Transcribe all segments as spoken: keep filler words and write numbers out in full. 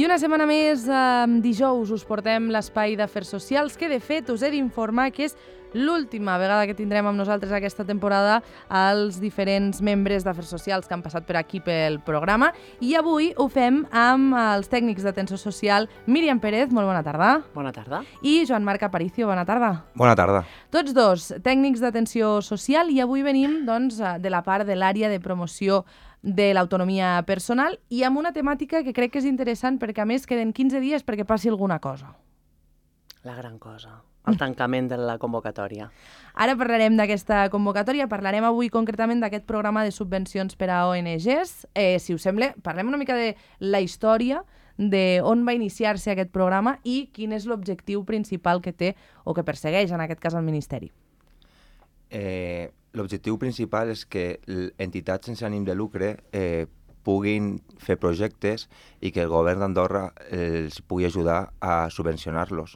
I una setmana més, eh, dijous, us portem l'espai d'Afers Socials, que de fet us he d'informar que és l'última vegada que tindrem amb nosaltres aquesta temporada els diferents membres d'Afers Socials que han passat per aquí pel programa. I avui ho fem amb els tècnics d'atenció social Míriam Pérez, molt bona tarda. Bona tarda. I Joan Marc Aparicio, bona tarda. Bona tarda. Tots dos tècnics d'atenció social i avui venim doncs, de la part de l'àrea de promoció de l'autonomia personal i amb una temàtica que crec que és interessant perquè a més queden quinze dies perquè passi alguna cosa. La gran cosa, el tancament de la convocatòria. Ara parlarem d'aquesta convocatòria, parlarem avui concretament d'aquest programa de subvencions per a O N Ges. Eh, si us sembla, parlem una mica de la història d'on va iniciar-se aquest programa i quin és l'objectiu principal que té o que persegueix en aquest cas el Ministeri. Eh, L'objectiu principal és que entitats sense ànim de lucre eh, puguin fer projectes i que el govern d'Andorra eh, els pugui ajudar a subvencionar-los.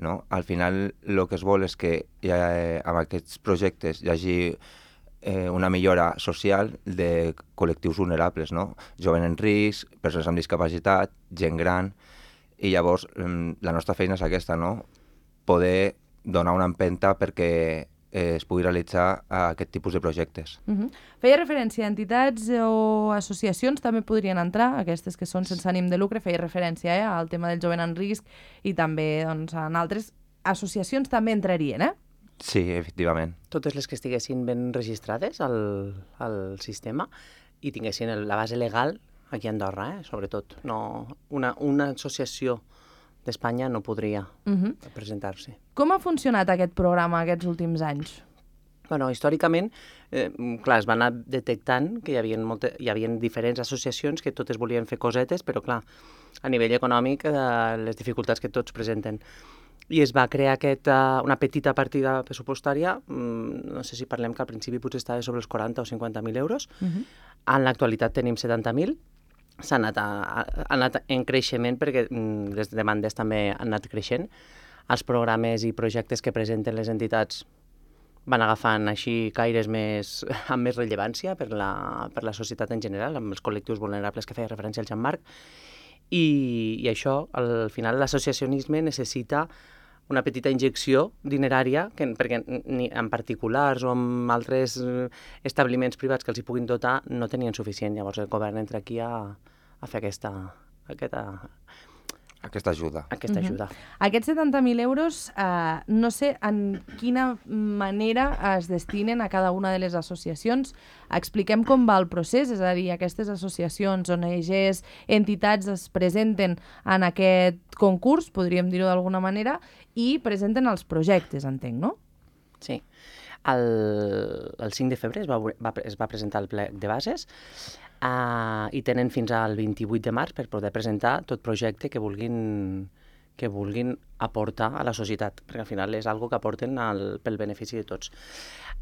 No? Al final el que es vol és que ja, eh, amb aquests projectes hi hagi eh, una millora social de col·lectius vulnerables, no? Jovent en risc, persones amb discapacitat, gent gran, i llavors la nostra feina és aquesta, no? Poder donar una empenta perquè es pugui realitzar aquest tipus de projectes. Uh-huh. Feia referència a entitats o associacions, també podrien entrar, aquestes que són sense ànim de lucre, feia referència eh, al tema del jovent en risc i també doncs, en altres associacions també entrarien, eh? Sí, efectivament. Totes les que estiguessin ben registrades al, al sistema i tinguessin la base legal aquí a Andorra, eh, sobretot. No, una, una associació d'Espanya no podria uh-huh. presentar-se. Com ha funcionat aquest programa aquests últims anys? Bueno, històricament, eh, clar, es va anar detectant que hi havia, molta, hi havia diferents associacions que totes volien fer cosetes, però clar, a nivell econòmic, eh, les dificultats que tots presenten. I es va crear aquesta, una petita partida pressupostària, no sé si parlem que al principi potser estava sobre els quaranta o cinquanta mil euros, uh-huh. en l'actualitat tenim setanta mil, s'ha anat, a, ha anat en creixement perquè les demandes també han anat creixent. Els programes i projectes que presenten les entitats van agafant així caires més, amb més rellevància per la, per la societat en general, amb els col·lectius vulnerables que feia referència al Jean-Marc. I, i això, al final, l'associacionisme necessita una petita injecció dinerària, que, perquè ni en particulars o en altres establiments privats que els hi puguin dotar no tenien suficient. Llavors el govern entra aquí a, a fer aquesta, aquesta, aquesta ajuda. Aquesta ajuda. Uh-huh. Aquests setanta mil euros, eh, no sé en quina manera es destinen a cada una de les associacions. Expliquem com va el procés, és a dir, aquestes associacions, O N Ges, entitats es presenten en aquest concurs, podríem dir-ho d'alguna manera, i presenten els projectes, entenc, no? Sí. El, el cinc de febrer es va, va, es va presentar el plec de bases uh, i tenen fins al vint-i-vuit de març per poder presentar tot projecte que vulguin, que vulguin aportar a la societat, perquè al final és algo que aporten al, pel benefici de tots.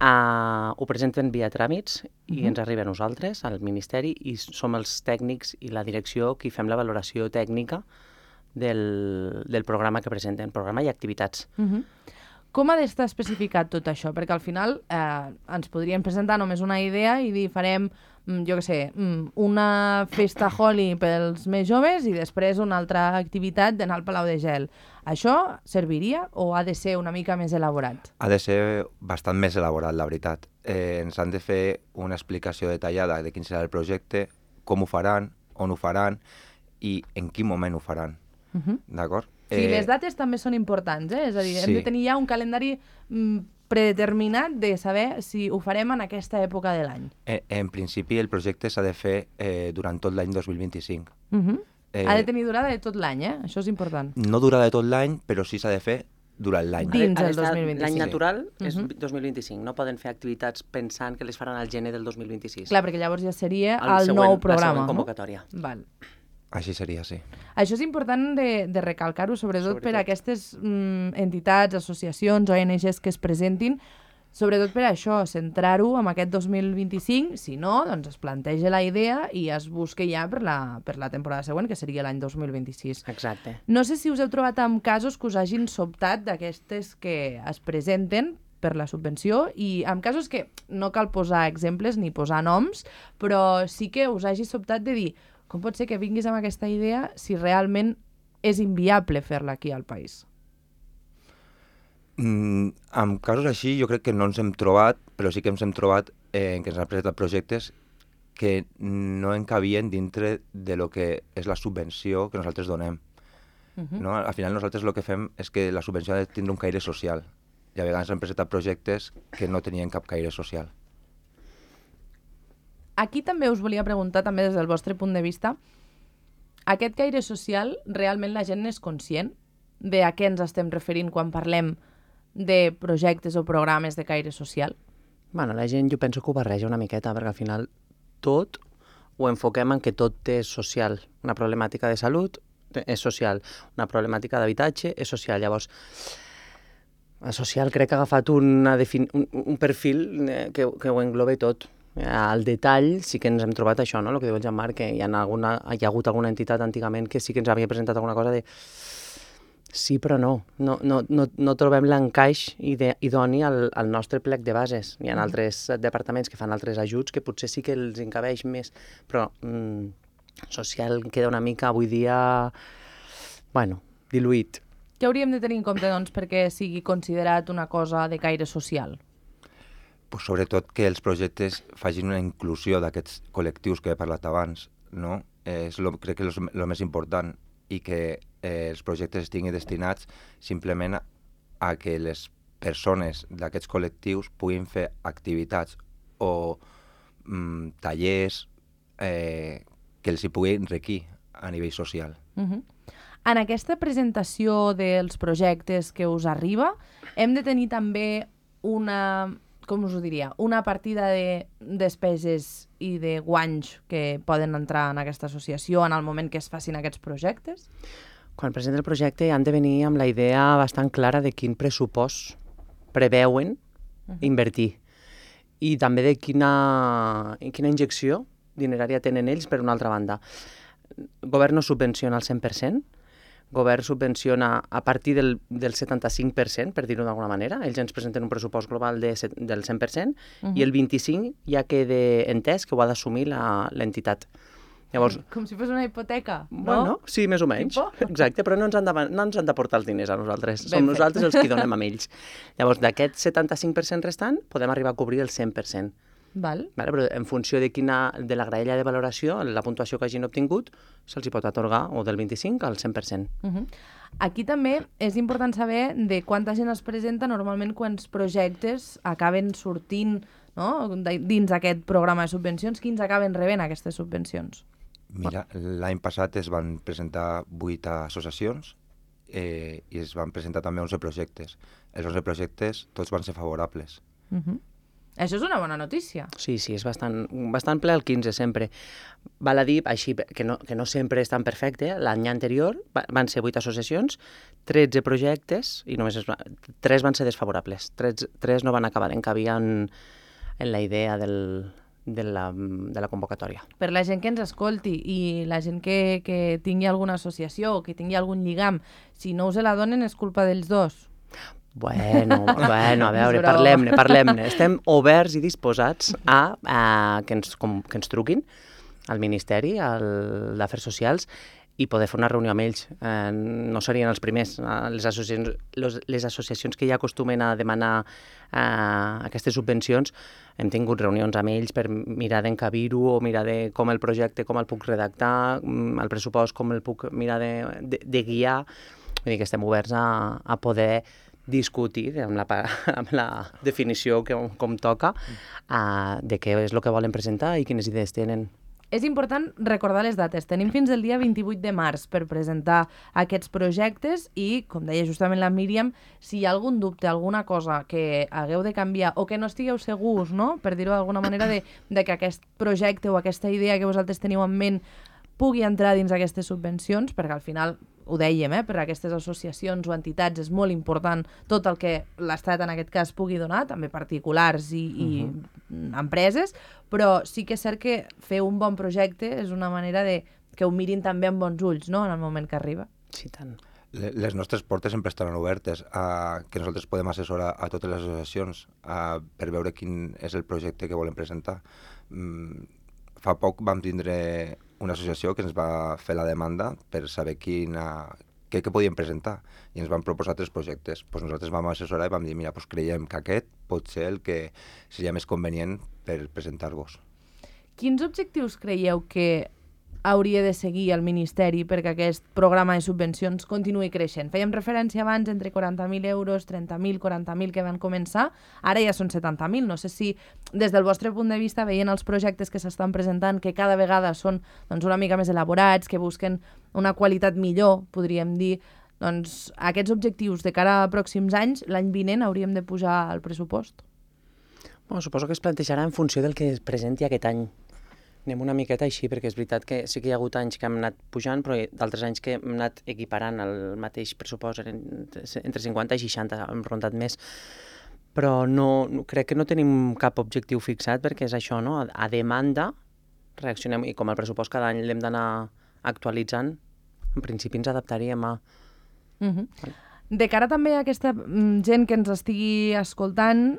Uh, ho presenten via tràmits i uh-huh. ens arriba a nosaltres, al Ministeri, i som els tècnics i la direcció qui fem la valoració tècnica del, del programa que presenten, programa i activitats. Uh-huh. Com ha d'estar especificat tot això? Perquè al final eh, ens podríem presentar només una idea i dir farem, jo què sé, una festa Holi pels més joves i després una altra activitat d'anar al Palau de Gel. Això serviria o ha de ser una mica més elaborat? Ha de ser bastant més elaborat, la veritat. Eh, ens han de fer una explicació detallada de quin serà el projecte, com ho faran, on ho faran i en quin moment ho faran. Uh-huh. D'acord? Sí, eh... les dates també són importants, eh? És a dir, sí. hem de tenir ja un calendari mm, predeterminat de saber si ho farem en aquesta època de l'any. En, en principi, el projecte s'ha de fer eh, durant tot l'any dos mil vint-i-cinc. Uh-huh. eh... Ha de tenir durada de tot l'any, eh? Això és important. No durada de tot l'any, però sí s'ha de fer durant l'any. Dins el dos mil vint-i-cinc. L'any natural és uh-huh. dos mil vint-i-cinc. No poden fer activitats pensant que les faran al gener del dos mil vint-i-sis. Clar, perquè llavors ja seria el, el següent, nou programa. La següent convocatòria. No? Val. Així seria, sí. Això és important de, de recalcar-ho, sobretot, sobretot per a aquestes mm, entitats, associacions, O N Ges que es presentin, sobretot per això, centrar-ho en aquest dos mil vint-i-cinc, si no, doncs es planteja la idea i es busca ja per la, per la temporada següent, que seria l'any dos mil vint-i-sis. Exacte. No sé si us heu trobat amb casos que us hagin sobtat d'aquestes que es presenten per la subvenció i amb casos que no cal posar exemples ni posar noms, però sí que us hagi sobtat de dir com pot ser que vinguis amb aquesta idea si realment és inviable fer-la aquí al país? Mm, en casos així jo crec que no ens hem trobat, però sí que ens hem trobat eh, en què ens han presentat projectes que no encabien dintre de lo que és la subvenció que nosaltres donem. Uh-huh. No? Al final nosaltres el que fem és que la subvenció ha de tindre un caire social i a vegades han presentat projectes que no tenien cap caire social. Aquí també us volia preguntar, també des del vostre punt de vista, aquest caire social, realment la gent és conscient de a què ens estem referint quan parlem de projectes o programes de caire social? Bueno, la gent jo penso que ho barreja una miqueta, perquè al final tot ho enfoquem en que tot és social. Una problemàtica de salut és social, una problemàtica d'habitatge és social. Llavors, el social crec que ha agafat una defin... un, un perfil que, que ho engloba tot. Al detall sí que ens hem trobat això, no? El que diu el Jean-Marc, que hi ha, alguna, hi ha hagut alguna entitat antigament que sí que ens havia presentat alguna cosa de sí però no, no, no, no, no trobem l'encaix idoni al, al nostre plec de bases. Hi ha altres departaments que fan altres ajuts que potser sí que els encabeix més, però mm, social queda una mica avui dia, bueno, diluït. Què hauríem de tenir en compte, doncs, perquè sigui considerat una cosa de caire social? Pues sobretot que els projectes facin una inclusió d'aquests col·lectius que he parlat abans, no? Eh, és lo, crec que és el més important, i que eh, els projectes estiguin destinats simplement a, a que les persones d'aquests col·lectius puguin fer activitats o mm, tallers eh, que els hi puguin enriquir a nivell social. Uh-huh. En aquesta presentació dels projectes que us arriba, hem de tenir també una, com us ho diria, una partida de despeses i de guanys que poden entrar en aquesta associació en el moment que es facin aquests projectes? Quan presenten el projecte han de venir amb la idea bastant clara de quin pressupost preveuen uh-huh. invertir i també de quina, quina injecció dinerària tenen ells per una altra banda. El govern no subvenciona el cent per cent, el govern subvenciona a partir del, del setanta-cinc per cent, per dir-ho d'alguna manera. Ells ens presenten un pressupost global de, del cent per cent uh-huh. i el vint-i-cinc per cent ja queda entès que ho ha d'assumir l'entitat. Llavors, com si fos una hipoteca, no? Bueno, sí, més o menys. Tipo? Exacte, però no ens, han de, no ens han de portar els diners a nosaltres. Ben Som fet. Nosaltres els que donem a ells. Llavors, d'aquest setanta-cinc per cent restant, podem arribar a cobrir el cent per cent. Val. Vale, però en funció de, quina, de la graella de valoració, la puntuació que hagin obtingut, se'ls hi pot atorgar o del vint-i-cinc al cent per cent. Uh-huh. Aquí també és important saber de quanta gent es presenta normalment quants projectes acaben sortint, no? Dins aquest programa de subvencions, quins acaben rebent aquestes subvencions? Mira, l'any passat es van presentar vuit associacions eh, i es van presentar també onze projectes. Els onze projectes tots van ser favorables. Uh-huh. Això és una bona notícia. Sí, sí, és bastant, bastant ple el quinze sempre. Val a dir, així, que no, que no sempre és tan perfecte, l'any anterior van ser vuit associacions, tretze projectes, i només es va, tres van ser desfavorables. Tres, tres no van acabar encabir en, en la idea del, de, la, de la convocatòria. Per la gent que ens escolti i la gent que, que tingui alguna associació o que tingui algun lligam, si no us la donen és culpa dels dos. Bueno, bueno, a veure, parlem-ne, parlem-ne. Estem oberts i disposats a, a que, ens, com, que ens truquin al Ministeri d'Afers Socials i poder fer una reunió amb ells. Eh, no serien els primers. Les associacions, les, les associacions que ja acostumen a demanar eh, aquestes subvencions, hem tingut reunions amb ells per mirar d'encabir-ho o mirar de com el projecte, com el puc redactar, el pressupost, com el puc mirar de, de, de guiar. Vull dir que estem oberts a, a poder discutir amb la, amb la definició que, com toca uh, de què és el que volen presentar i quines idees tenen. És important recordar les dates. Tenim fins al dia vint-i-vuit de març per presentar aquests projectes i, com deia justament la Míriam, si hi ha algun dubte, alguna cosa que hagueu de canviar o que no estigueu segurs, no? Per dir-ho d'alguna manera, de, de que aquest projecte o aquesta idea que vosaltres teniu en ment pugui entrar dins aquestes subvencions, perquè al final, ho dèiem, eh, per a aquestes associacions o entitats és molt important tot el que l'Estat en aquest cas pugui donar, també particulars i, i uh-huh. empreses, però sí que és cert que fer un bon projecte és una manera de que ho mirin també amb bons ulls, no?, en el moment que arriba. Sí, tant. Les nostres portes sempre estaran obertes a que nosaltres podem assessorar a totes les associacions a, per veure quin és el projecte que volen presentar. Mm, fa poc vam tindre una associació que ens va fer la demanda per saber quina, què, què podíem presentar, i ens van proposar tres projectes. Pues nosaltres vam assessorar i vam dir, mira, pues creiem que aquest pot ser el que seria més convenient per presentar-vos. Quins objectius creieu que hauria de seguir el Ministeri perquè aquest programa de subvencions continuï creixent? Fèiem referència abans entre quaranta mil euros, trenta mil, quaranta mil que van començar, ara ja són setanta mil. No sé si des del vostre punt de vista, veient els projectes que s'estan presentant, que cada vegada són doncs, una mica més elaborats, que busquen una qualitat millor, podríem dir, doncs aquests objectius de cara a pròxims anys, l'any vinent hauríem de pujar el pressupost? Bueno, suposo que es plantejarà en funció del que es presenti aquest any. Anem una miqueta així, perquè és veritat que sí que hi ha hagut anys que hem anat pujant, però d'altres anys que hem anat equiparant el mateix pressupost entre cinquanta i seixanta, hem rondat més. Però no, crec que no tenim cap objectiu fixat, perquè és això, no? A demanda reaccionem, i com el pressupost cada any l'hem d'anar actualitzant, en principi ens adaptaríem a... Uh-huh. De cara també a aquesta gent que ens estigui escoltant,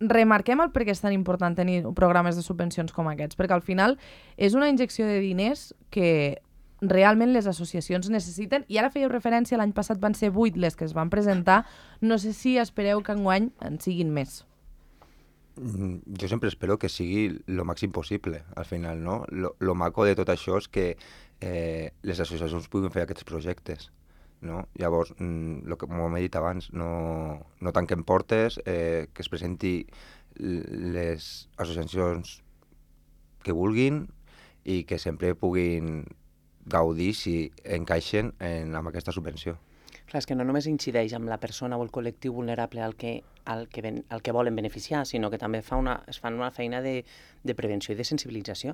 remarquem el per què és tan important tenir programes de subvencions com aquests, perquè al final és una injecció de diners que realment les associacions necessiten, i ara fèieu referència, l'any passat van ser vuit les que es van presentar, no sé si espereu que enguany en siguin més. Jo sempre espero que sigui el màxim possible, al final, no? Lo, lo maco de tot això és que eh, les associacions puguin fer aquests projectes. No? Llavors, lo que, com he dit abans, no, no tanquem portes, eh, que es presenti les associacions que vulguin i que sempre puguin gaudir si encaixen en, amb aquesta subvenció. Clar, és que no només incideix amb la persona o el col·lectiu vulnerable al que, al que, ben, al que volen beneficiar, sinó que també fa una, es fan una feina de, de prevenció i de sensibilització,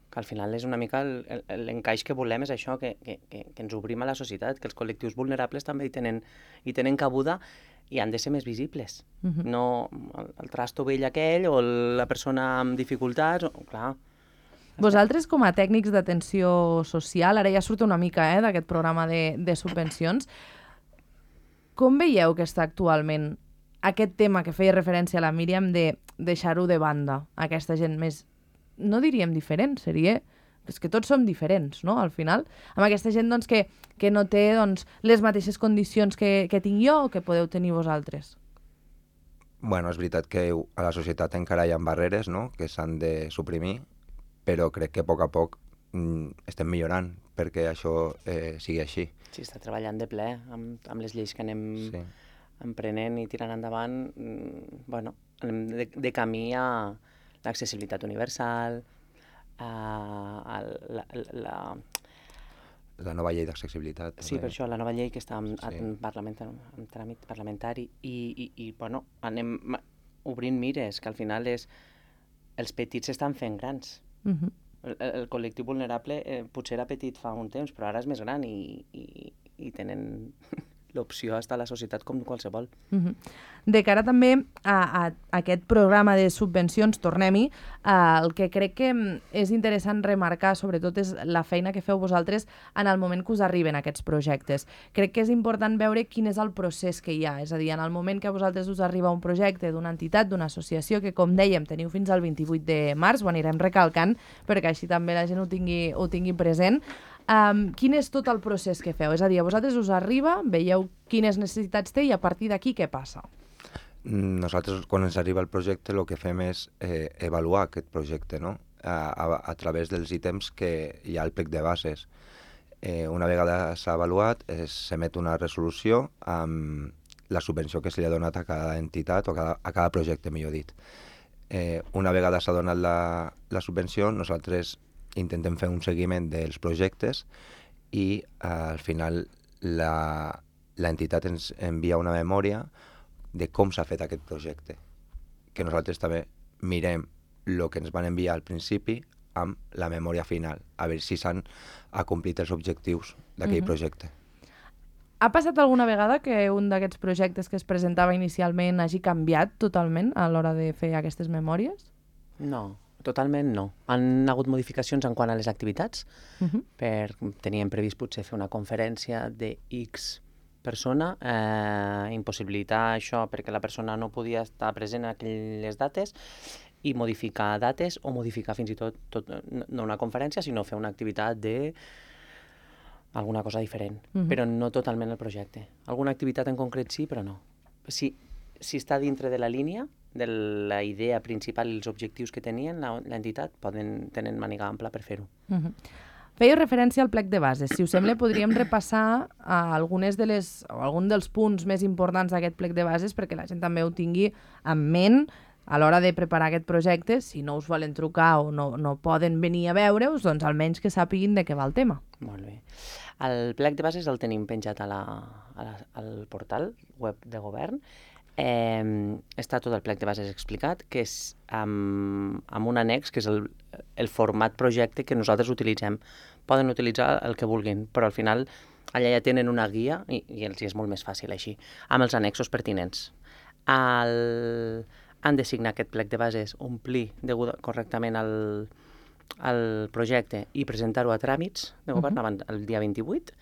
que al final és una mica l'encaix que volem, és això, que, que, que, que ens obrim a la societat, que els col·lectius vulnerables també hi tenen, hi tenen cabuda i han de ser més visibles. Uh-huh. No el, el trasto vell aquell o la persona amb dificultats, o, clar. Vosaltres, com a tècnics d'atenció social, ara ja surt una mica eh, d'aquest programa de, de subvencions, com veieu que està actualment aquest tema que feia referència a la Míriam de deixar-ho de banda, aquesta gent més, no diríem diferent, seria... És que tots som diferents, no?, al final. Amb aquesta gent doncs, que, que no té doncs, les mateixes condicions que, que tinc jo o que podeu tenir vosaltres. Bueno, és veritat que a la societat encara hi ha barreres, no?, que s'han de suprimir, però crec que a poc a poc mm, estem millorant perquè això eh, sigui així. Sí, està treballant de ple amb, amb les lleis que anem sí. emprenent i tirant endavant. Mm, bueno, anem de, de camí a l'accessibilitat universal, a, a la, la... la nova llei d'accessibilitat. Sí, per això, la nova llei que està en, sí. en, parlament, en tràmit parlamentari i, i, i bueno, anem obrint mires, que al final és... els petits s'estan fent grans. Uh-huh. el, el col·lectiu vulnerable eh, potser era petit fa un temps, però ara és més gran i, i, i tenen l'opció a estar a la societat com qualsevol. Uh-huh. De cara també a, a, a aquest programa de subvencions, tornem-hi, eh, el que crec que és interessant remarcar, sobretot, és la feina que feu vosaltres en el moment que us arriben aquests projectes. Crec que és important veure quin és el procés que hi ha, és a dir, en el moment que a vosaltres us arriba un projecte d'una entitat, d'una associació, que com dèiem teniu fins al vint-i-vuit de març, ho anirem recalcant perquè així també la gent ho tingui, ho tingui present. Um, quin és tot el procés que feu? És a dir, a vosaltres us arriba, veieu quines necessitats té i a partir d'aquí què passa? Nosaltres, quan ens arriba el projecte, el que fem és eh, avaluar aquest projecte, no? A, a, a través dels ítems que hi ha al plec de bases. Eh, una vegada s'ha avaluat, s'emet una resolució amb la subvenció que se li ha donat a cada entitat o a cada, a cada projecte, millor dit. Eh, una vegada s'ha donat la, la subvenció, nosaltres intentem fer un seguiment dels projectes i eh, al final l'entitat ens envia una memòria de com s'ha fet aquest projecte, que nosaltres també mirem el que ens van enviar al principi amb la memòria final, a veure si s'han acomplit els objectius d'aquell uh-huh. projecte. Ha passat alguna vegada que un d'aquests projectes que es presentava inicialment hagi canviat totalment a l'hora de fer aquestes memòries? No. Totalment no. Han hagut modificacions en quant a les activitats. Uh-huh. Per, teníem previst potser fer una conferència de X persona, eh, impossibilitar això perquè la persona no podia estar present en aquelles dates i modificar dates o modificar fins i tot, tot no una conferència, sinó fer una activitat de alguna cosa diferent, uh-huh. però no totalment el projecte. Alguna activitat en concret sí, però no. Si, si està dintre de la línia, de la idea principal i els objectius que tenien l'entitat, poden tenen màniga ampla per fer-ho. Uh-huh. Fèieu referència al plec de bases. Si us sembla, podríem repassar a algunes de les, o algun dels punts més importants d'aquest plec de bases perquè la gent també ho tingui en ment a l'hora de preparar aquest projecte. Si no us volen trucar o no, no poden venir a veure-us, doncs almenys que sàpiguin de què va el tema. Molt bé. El plec de bases el tenim penjat a la, a la, al portal web de govern. Eh, està tot el plec de bases explicat, que és amb, amb un annex, que és el, el format projecte que nosaltres utilitzem. Poden utilitzar el que vulguin, però al final allà ja tenen una guia i, i els és molt més fàcil així, amb els annexos pertinents. El, han de signar aquest plec de bases, omplir degut, correctament el, el projecte i presentar-ho a tràmits de govern uh-huh. el dia vint-i-vuit,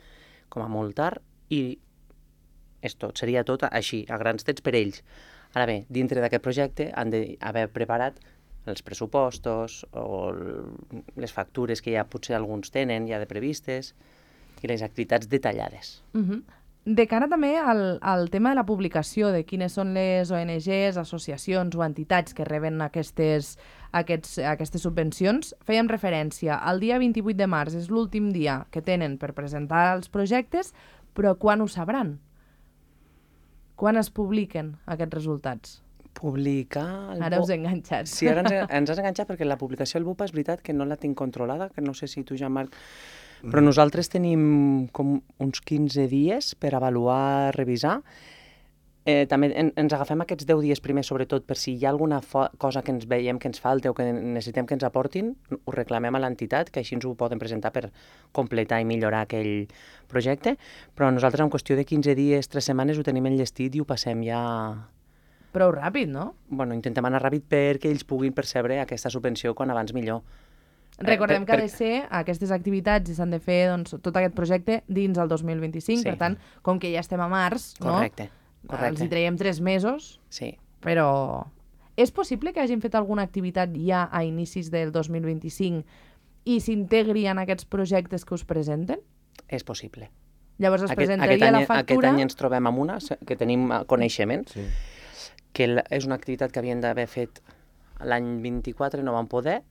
com a molt tard, i és tot, seria tot així, a grans trets per ells. Ara bé, dintre d'aquest projecte han d'haver preparat els pressupostos o les factures que ja potser alguns tenen ja de previstes i les activitats detallades. Uh-huh. De cara també al, al tema de la publicació, de quines són les O N Ges, associacions o entitats que reben aquestes, aquests, aquestes subvencions, fèiem referència. El dia vint-i-vuit de març és l'últim dia que tenen per presentar els projectes, però quan ho sabran? Quan es publiquen aquests resultats? Publicar... El ara us he enganxat. Sí, ara ens, ens has enganxat perquè la publicació del B U P A és veritat que no la tinc controlada, que no sé si tu, Jean-Marc... Però nosaltres tenim com uns quinze dies per avaluar, revisar. Eh, també en, ens agafem aquests deu dies primers, sobretot, per si hi ha alguna cosa que ens veiem que ens falta o que necessitem que ens aportin, ho reclamem a l'entitat, que així ens ho poden presentar per completar i millorar aquell projecte. Però nosaltres, en qüestió de quinze dies, tres setmanes, ho tenim enllestit i ho passem ja... Prou ràpid, no? Bueno, intentem anar ràpid perquè ells puguin percebre aquesta subvenció quan abans millor. Recordem eh, per, que ha de ser aquestes activitats i s'han de fer doncs, tot aquest projecte dins el dos mil vint-i-cinc, sí. Per tant, com que ja estem a març, correcte, no? Correcte. Els hi traiem tres mesos, sí. Però és possible que hagin fet alguna activitat ja a inicis del dos mil vint-i-cinc i s'integri en aquests projectes que us presenten? És possible. Llavors es aquest, presentaria aquest any, la factura... Aquest any ens trobem amb una, que tenim coneixement, sí. Que és una activitat que havien d'haver fet l'any vint-i-quatre, no vam poder,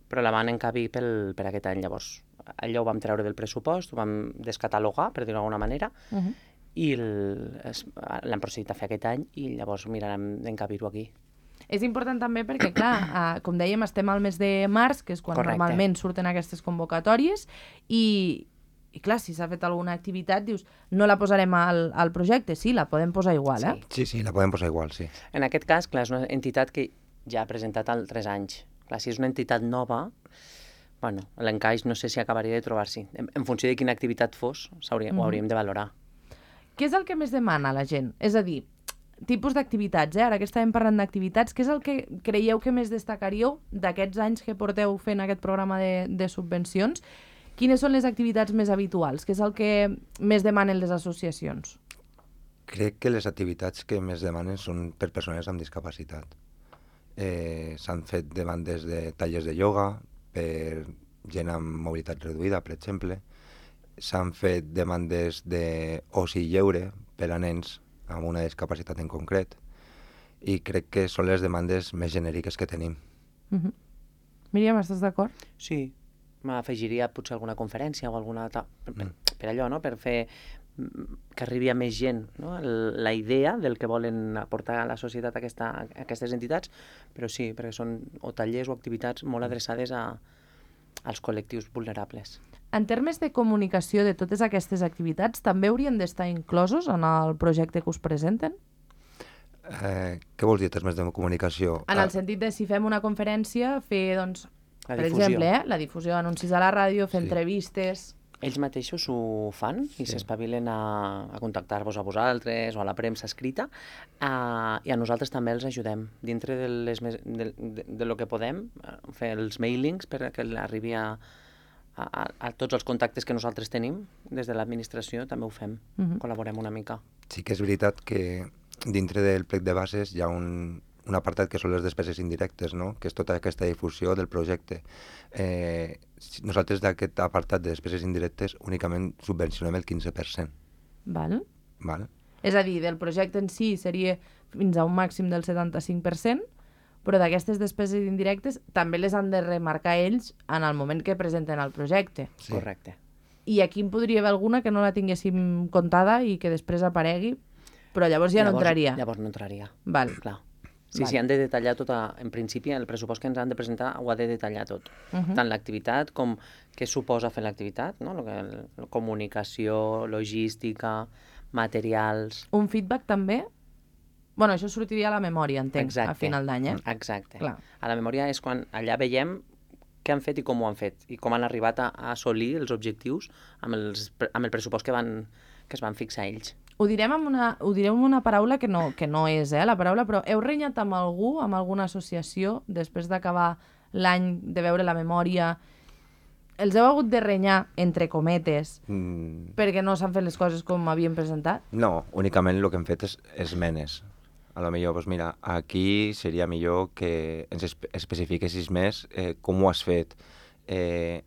però la van encabir pel, per aquest any. Llavors, allò ho vam treure del pressupost, ho vam descatalogar, per dir-ho d'alguna manera, uh-huh. I l'hem procedit a fer aquest any i llavors mirarem d'encabir-ho aquí. És important també perquè, clar, eh, com dèiem, estem al mes de març, que és quan correcte. Normalment surten aquestes convocatòries, i, i clar, si s'ha fet alguna activitat, dius, no la posarem al, al projecte, sí, la podem posar igual, eh? Sí, sí, la podem posar igual, sí. En aquest cas, clar, és una entitat que ja ha presentat altres anys. Clar, si és una entitat nova, bueno, l'encaix no sé si acabaria de trobar-s'hi. En, en funció de quina activitat fos, mm-hmm. ho hauríem de valorar. Què és el que més demana la gent? És a dir, tipus d'activitats, eh? Ara que estàvem parlant d'activitats, què és el que creieu que més destacaríeu d'aquests anys que porteu fent aquest programa de, de subvencions? Quines són les activitats més habituals? Què és el que més demanen les associacions? Crec que les activitats que més demanen són per persones amb discapacitat. Eh, s'han fet demandes de tallers de ioga per gent amb mobilitat reduïda, per exemple. S'han fet demandes d'oci lleure per a nens amb una discapacitat en concret i crec que són les demandes més genèriques que tenim. Mm-hmm. Míriam, estàs d'acord? Sí, m'afegiria potser alguna conferència o alguna... Per, per, per allò, no? Per fer que arribi a més gent, no? La idea del que volen aportar a la societat aquesta, a aquestes entitats, però sí, perquè són o tallers o activitats molt adreçades a, als col·lectius vulnerables. En termes de comunicació de totes aquestes activitats, també haurien d'estar inclosos en el projecte que us presenten? Eh, què vols dir, en termes de comunicació? En el sentit de si fem una conferència, fer, doncs, la per difusió. exemple, eh, la difusió d'anuncis a la ràdio, fer sí. entrevistes... Ells mateixos ho fan i sí. s'espavilen a, a contactar-vos a vosaltres o a la premsa escrita uh, i a nosaltres també els ajudem dintre de, les, de, de, de lo que podem uh, fer els mailings perquè arribi a, a, a tots els contactes que nosaltres tenim des de l'administració, també ho fem, uh-huh. col·laborem una mica. Sí que és veritat que dintre del plec de bases hi ha un, un apartat que són les despeses indirectes, no? Que és tota aquesta difusió del projecte. Eh, nosaltres d'aquest apartat de despeses indirectes únicament subvencionem el quinze per cent. Val. Val? És a dir, del projecte en si seria fins a un màxim del setanta-cinc per cent, però d'aquestes despeses indirectes també les han de remarcar ells en el moment que presenten el projecte. Sí. Correcte. I aquí en podria haver alguna que no la tinguéssim comptada i que després aparegui, però llavors ja llavors, no entraria. Llavors no entraria. Val. Clar. Sí, Val. sí, han de detallar tot. A, en principi, el pressupost que ens han de presentar ho ha de detallar tot. Uh -huh. Tant l'activitat com què suposa fer l'activitat, no? Lo que, el, comunicació, logística, materials... Un feedback també? Bueno, això sortiria a la memòria, entenc, Exacte. a final d'any, eh? Exacte. Clar. A la memòria és quan allà veiem què han fet i com ho han fet, i com han arribat a, a assolir els objectius amb, els, amb el pressupost que, van, que es van fixar ells. Ho direm amb una, ho direm amb una paraula que no, que no és eh, la paraula, però heu renyat amb algú, amb alguna associació, després d'acabar l'any, de veure la memòria? Els heu hagut de renyar, entre cometes, Mm, perquè no s'han fet les coses com havien presentat? no, únicament el que hem fet és esmenes. A lo millor, doncs mira, aquí seria millor que ens espe especifiquessis més eh, com ho has fet. Eh,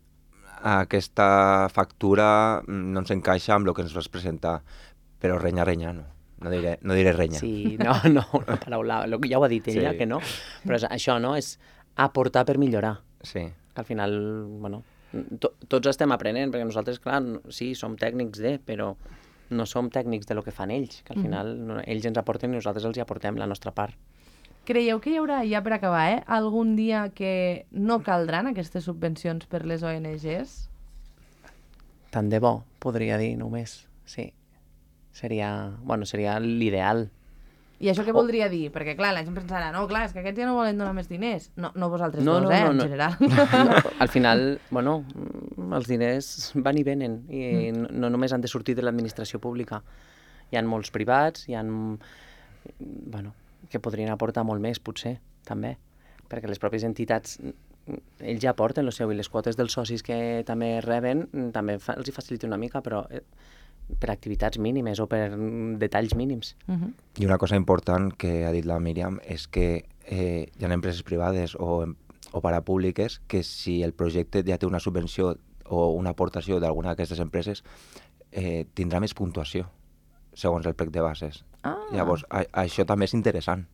aquesta factura no ens encaixa amb el que ens vas presentar, però renya, renya, no. No diré, no diré renya. Sí, no, no, una paraula, lo que ja ho ha dit ella, Sí. que no, però és, això, no?, és aportar per millorar. Sí. Que al final, bueno, to, tots estem aprenent, perquè nosaltres, clar, no- sí, som tècnics de, però no som tècnics de lo que fan ells, que al final no, ells ens aporten i nosaltres els hi aportem la nostra part. Creieu que hi haurà, ja per acabar, eh, algun dia que no caldran aquestes subvencions per les O N Ges? Tant de bo, podria dir, només, sí. Seria, bueno, seria l'ideal. I això què O- voldria dir? Perquè, clar, la gent pensarà, no, clar, és que aquests ja no volen donar més diners. No, no vosaltres No, dos, no, eh, no, en no. general. Al final, bueno, mm, els diners van i venen i no, no només han de sortir de l'administració pública. Hi ha molts privats, hi ha, bueno, que podrien aportar molt més, potser, també, perquè les pròpies entitats, mm, ells ja aporten el seu i les quotes dels socis que també reben mm, també fa, els hi facilita una mica, però eh, per activitats mínimes o per mm, detalls mínims. Mhm. I una cosa important que ha dit la Míriam és que eh, hi ha empreses privades o, em- o parapúbliques que si el projecte ja té una subvenció o una aportació d'alguna d'aquestes empreses eh, tindrà més puntuació segons el plec de bases. Ah, Llavors, a, això també és interessant.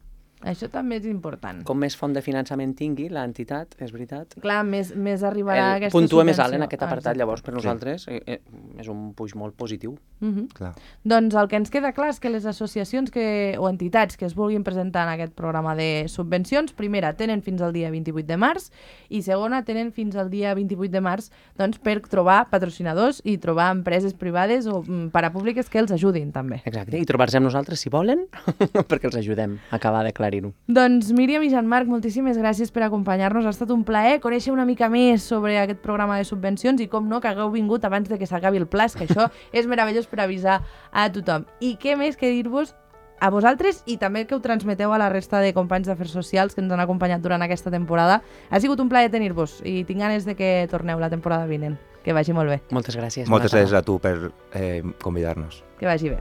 això també és important. Com més font de finançament tingui l'entitat, és veritat, Clar, més, més arribarà el aquesta puntua més alt subvenció. en aquest apartat, Exacte. llavors per nosaltres eh, eh, és un puix molt positiu. Mhm. Clar. Doncs el que ens queda clar és que les associacions que, o entitats que es vulguin presentar en aquest programa de subvencions, primera, tenen fins al dia vint-i-vuit de març i segona, tenen fins al dia vint-i-vuit de març doncs, per trobar patrocinadors i trobar empreses privades o mm, parapúbliques que els ajudin també. Exacte, i trobar-se amb nosaltres si volen, perquè els ajudem a acabar d'aclarir-ho. Doncs Míriam i Jean-Marc, moltíssimes gràcies per acompanyar-nos. Ha estat un plaer conèixer una mica més sobre aquest programa de subvencions i com no, que hagueu vingut abans de que s'acabi el pla, és que això és meravellós per avisar a tothom. I què més que dir-vos a vosaltres i també que ho transmeteu a la resta de companys d'Afers Socials que ens han acompanyat durant aquesta temporada. Ha sigut un plaer tenir-vos i tinc ganes de que torneu la temporada vinent. Que vagi molt bé. Moltes gràcies. Moltes bona gràcies tarda. a tu per eh, convidar-nos. Que vagi bé.